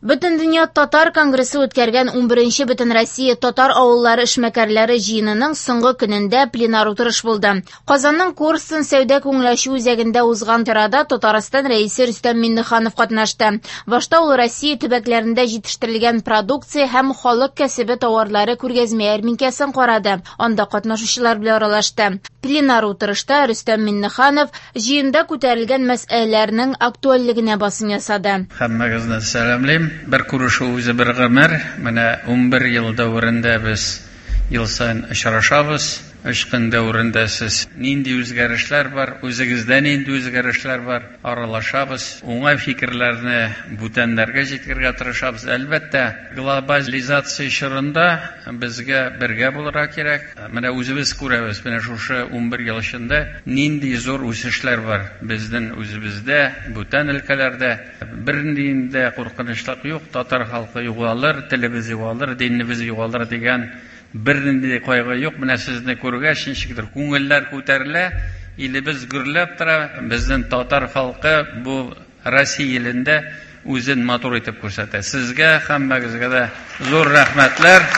Бөтендөнья татар конгрессы үткәргән 11нче Бөтенроссия татар авыллары эшмәкәрләре җыенының соңгы көнендә пленар утырыш булды. Казанның Корстон сәүдә күңел ачу үзәгендә узган чарада Татарстан Рәисе Рөстәм Миңнеханов катнашты. Башта ул Россия төбәкләрендә җитештерелгән продукция һәм халык кәсебе тауарлары күргәзмә ярминкәсен карады, анда катнашучылар белән аралашты. Пленар утырышта Рөстәм Миңнеханов җыенда күтәрелгән мәсьәләләрнең актуальлегенә басым ясады. Һәммәгезне сәламлим. Бер күрешү үзе бер гомер. Менә 11 ел дәверендә без ел саен очрашабыз. Өч көн дәверендә сез нинди үзгәрешләр бар, үзегездә нинди үзгәрешләр бар, аралашабыз. Уңай фикерләрне бүтәннәргә җиткерергә тырышабыз. Әлбәттә, глобализация чорында безгә бергә булырга кирәк. Менә үзебез күрәбез, менә шушы 11 ел эчендә нинди зур үсешләр бар безнең үзебездә, бүтән өлкәләрдә. Бернинди дә куркынычлык юк, татар халкы югалыр, телебез югалыр, динебез югалыр дигән бернинди кайгы юк. Менә сезне күргәч, ничектер күңелләр күтәрелә, илебез гөрләп тора. Безнең татар халкы бу Россия илендә үзен матур итеп күрсәтә. Сезгә һәммәгезгә дә зур рәхмәтләр.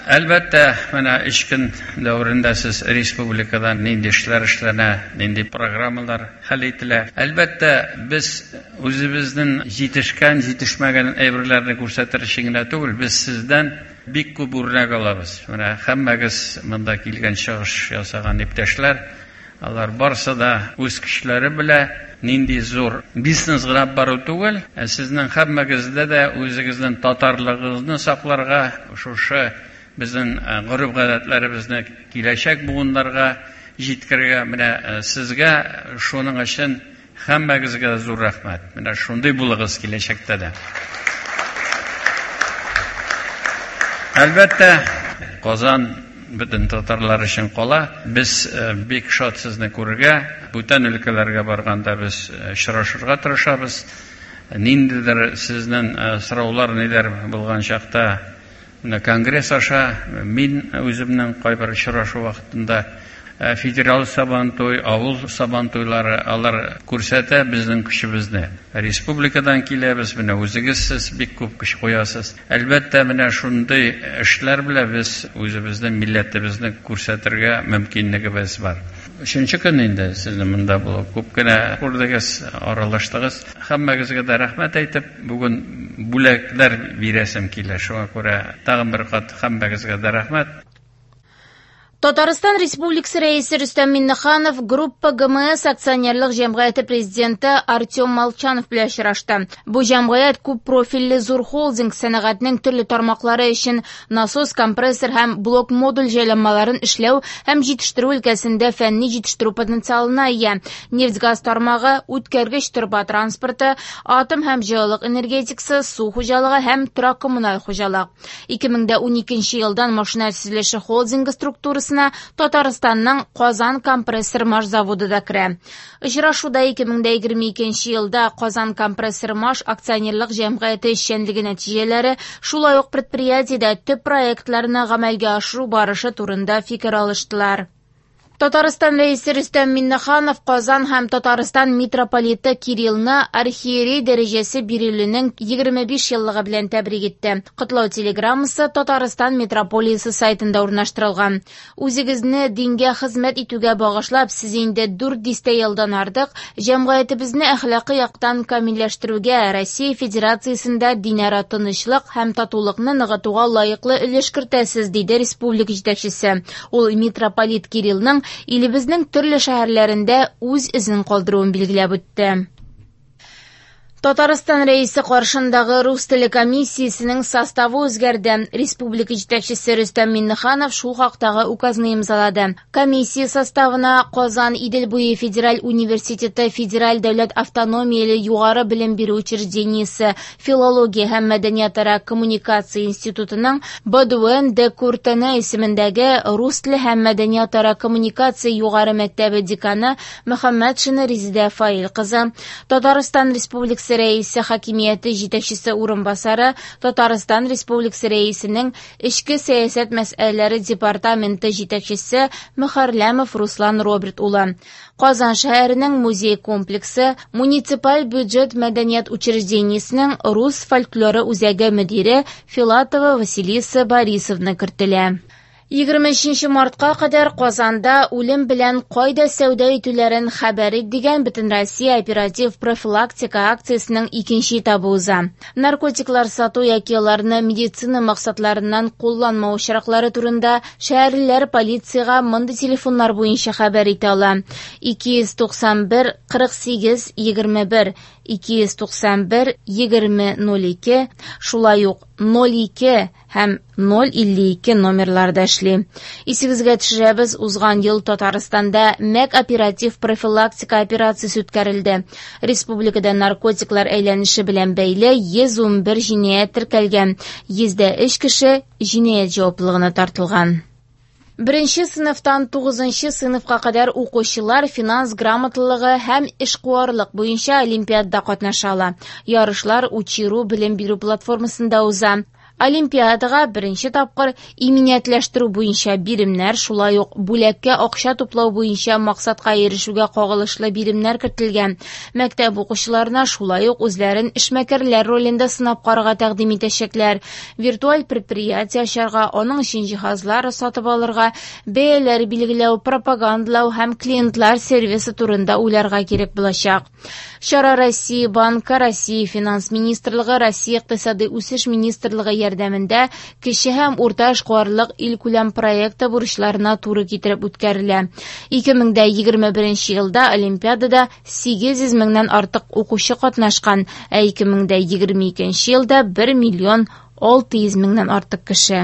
Әлбәттә, менә өч көн дәверендә сез республикада нинди эшләр эшләнә, нинди программалар хәл ителә. Әлбәттә, без үзебезнең җитешкән, җитешмәгән әйберләрне күрсәтер өчен генә түгел, без сездән бик күп үрнәк алабыз. Менә һәммәгез монда килгән чыгыш ясаган иптәшләр, алар барысы да үз көчләре белән нинди зур бизнес гына бару түгел, ә сезнең һәммәгездә дә үзегезнең татарлыгыгызны сакларга, шушы безнең гореф-гадәтләребезне киләчәк буыннарга җиткерергә, менә сезгә шуның өчен һәммәгезгә зур рәхмәт. Менә шундый булыгыз киләчәктә дә. Әлбәттә, Казан бөтен татарлар өчен кала. Без бик шат сезне күрергә, бүтән өлкәләргә барганда без очрашырга тырышабыз. Ниндидер сезнең сораулар ниләр булган чакта менә конгресс аша мин үземнең кайбер очрашу вакытында федераль сабантуй, авыл сабантуйлары алар күрсәтә безнең көчебезне. Республикадан киләбез, менә үзегез сез бик күп көч куясыз. Әлбәттә, менә шундый эшләр белән без үзебезнең милләтебезне күрсәтергә мөмкинлегебез бар. Өченче көн инде сезнең монда булып, күп кенә күрдегез, аралаштыгыз. Һәммәгезгә дә рәхмәт әйтеп, бүген бүләкләр бирәсем килә. Шуңа күрә тагын бер кат һәммәгезгә дә рәхмәт. Татарстан Республикасы Рәисе Рөстәм Миңнеханов Группа ГМС акционерлык җәмгыяте президенты Артем Молчанов белән очрашты. Бу җәмгыять күп профильле зур холдинг сәнәгатьнең төрле тармаклары өчен насос, компрессор һәм блок-модуль җайланмаларын эшләү һәм җитештерү өлкәсендә фәнни җитештерү потенциалына ия. Нефть-газ тармагы, үткәргеч торба транспорты, атом һәм җылылык энергетикасы, су хуҗалыгы һәм торак-коммуналь хуҗалык. 2012 елдан машина төзелеше холдингы структурасына Татарстанның Казан компрессор маш заводы да керә. Очрашуда 2022 елда Казан компрессор маш акционерлык җәмгыяте эшчәнлеге нәтиҗәләре, шулай ук предприятиедә төп проектларны гамәлгә ашыру барышы турында фикер алыштылар. Татарстан Рәисе Рөстәм Миңнеханов Казан һәм Татарстан митрополиты Кириллны архиерей дәрәҗәсе бирелүнең 25 еллыгы белән тәбрик итте. Котлау телеграммасы Татарстан митрополиясе сайтында урнаштырылган. Үзегезне дингә хезмәт итүгә багышлап, сез инде 4 дистә елдан артык җәмгыятебезне әхлакый яктан камилләштерүгә, Россия Федерациясендә динара тынычлык һәм татулыкны ныгытуга лаеклы өлеш кертәсез, диде республика җитәкчесе. Ул митрополит Кириллның илебезнең төрле шәһәрләрендә үз эзен калдыруын билгеләп үтте. Татарстан Рәисе каршындагы рус теле комиссиясенең составы үзгәрде. Республика җитәкчесе Рөстәм Миңнеханов шул хактагы указны имзалады. Комиссия составына Казан Идел буе федераль университеты федераль дәүләт автономияле югары белем бирү учреждениесе филология һәм мәдәниятара коммуникация институтының Бодуэн де Куртене исемендәге рус теле һәм мәдәниятара коммуникация югары мәктәбе деканы Мөхәммәтшина Резидә Фаил кызы, Татарстан Республикасы Республикасы Рәисе Хакимияте җитәкчесе урынбасары, Татарстан Республикасы Рәисенең Эчке сәясәт мәсьәләләре департаменты җитәкчесе Мөхәрләмов Руслан Роберт улы. Казан шәһәренең музей комплексы муниципаль бюджет мәдәният учреждениесенең рус фольклоры үзәге мөдире Филатова Василиса Борисовна кертелә. 23 мартка кадәр Казанда үлем белән кайда сәүдә итүләрен хәбәр ит дигән Бөтенроссия оператив профилактика акциясенең икенче этабы уза. Наркотиклар сату яки аларны медицина максатларыннан кулланмау очраклары турында шәһәрлеләр полициягә мондый телефоннар буенча хәбәр итә ала: 291 48 21, 291 20 02, шулай ук 02 һәм 052 номерларда эшли. Исегезгә төшерәбез, узган ел Татарстанда МӘК оператив профилактика операциясе үткәрелде. Республикада наркотиклар әйләнеше белән бәйле 111 җинаять теркәлгән, 103 кеше җинаять җаваплылыгына тартылган. Беренче сыйныфтан 9 сыйныфка кадәр укучылар финанс грамоталылыгы һәм эшкуарлык буенча олимпиадада катнаша ала. Ярышлар Учиру белем бирү платформасында уза. Олимпиадага беренче тапкыр иминиятләштерү буенча биремнәр, шулай ук бүләккә акча туплау буенча максатка ирешүгә кагылышлы биремнәр кертелгән. Мәктәп укучыларына шулай ук үзләрен эшмәкәрләр ролендә сынап карарга тәкъдим итәчәкләр. Виртуаль предприятие ачарга, аның өчен җиһазлар сатып алырга, бәяләр билгеләү, пропагандалау һәм клиентлар сервисы турында уйларга кирәк булачак. Чара Россия Банкы, Россия Финанс министрлыгы, Россия Икътисади үсеш министрлыгы ярдәмендә кече һәм урта эшкуарлык илкүләм проекты бурычларына туры китереп үткәрелә. 2021 елда олимпиадада 800 меңнән артык укучы катнашкан, ә 2022 елда 1 миллион 600 меңнән артык кеше.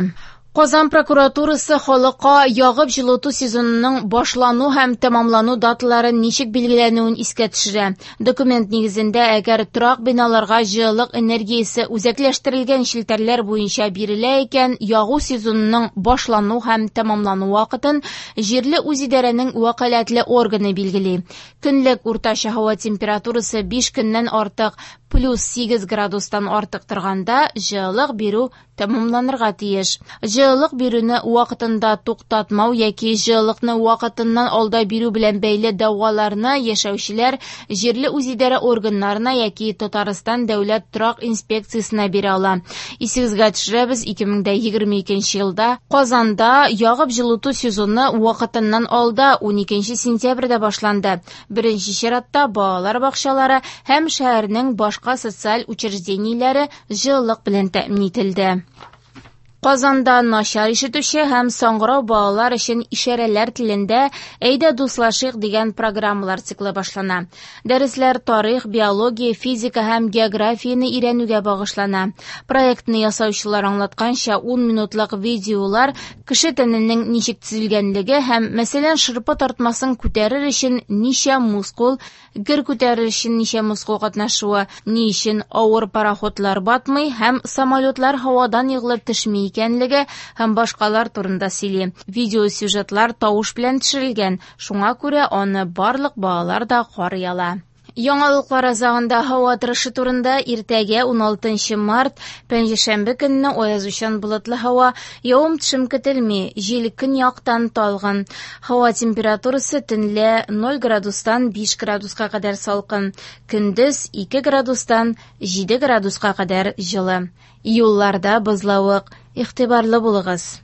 Казан прокуратурасы халыкка ягып җылыту сезонының башлану һәм тәмамлану даталарын ничек билгеләнүен искә төшерә. Документ нигезендә, әгәр торак биналарга җылылык энергиясе үзәкләштерелгән челтәрләр буенча бирелә икән, ягу сезонының башлану һәм тәмамлану вакытын җирле үзидарәнең вәкаләтле органы билгели. Көнлек уртача һава температурасы 5 көннән артык плюс 8 градустан артык торганда җылылык бирү тәмамланырга тиеш. Җылылык бирүне вакытында туктатмау яки җылылыкны вакытыннан алда бирү белән бәйле дәгъваларны яшәүчеләр җирле үзидарә органнарына яки Татарстан дәүләт торак инспекциясенә бирә ала. Исегезгә төшерәбез, 2022 елда Казанда ягып җылыту сезоны вакытыннан алда 12 сентябрьдә башланды. Беренче чиратта балалар бакчалары һәм шәһәрнең башка социаль учреждениеләре җылылык белән тәэмин ителде. Казанда начар ишетүче һәм саңгырау балалар өчен ишарәләр телендә «Әйдә дуслашыйк» дигән программалар циклы башлана. Дәресләр тарих, биология, физика һәм географияне өйрәнүгә багышлана. Проектны ясаучылар аңлатканча, 10 минутлык видеолар кеше тәненең ничек төзелгәнлеге һәм, мәсәлән, шырпы тартмасын күтәрер өчен ничә мускул, гер күтәрер өчен ничә мускул катнашуы, ни өчен авыр пароходлар батмый һәм самолетлар һавадан егылып төшми икәнлеге һәм башкалар турында сөйли. Видеосюжетлар тавыш белән төшерелгән, шуңа күрә аны барлык балалар да карый ала. Яңалыклар азагында һава торышы турында. Иртәгә 16 март, пәнҗешәмбе көнне аязучан болытлы һава, явым-төшем көтелми, җил көньяктан талгын. Һава температурасы төнлә 0 градустан 5 градуска кадәр салкын, көндез 2 градустан 7 градуска кадәр җылы. Юлларда бозлавык, игътибарлы булыгыз.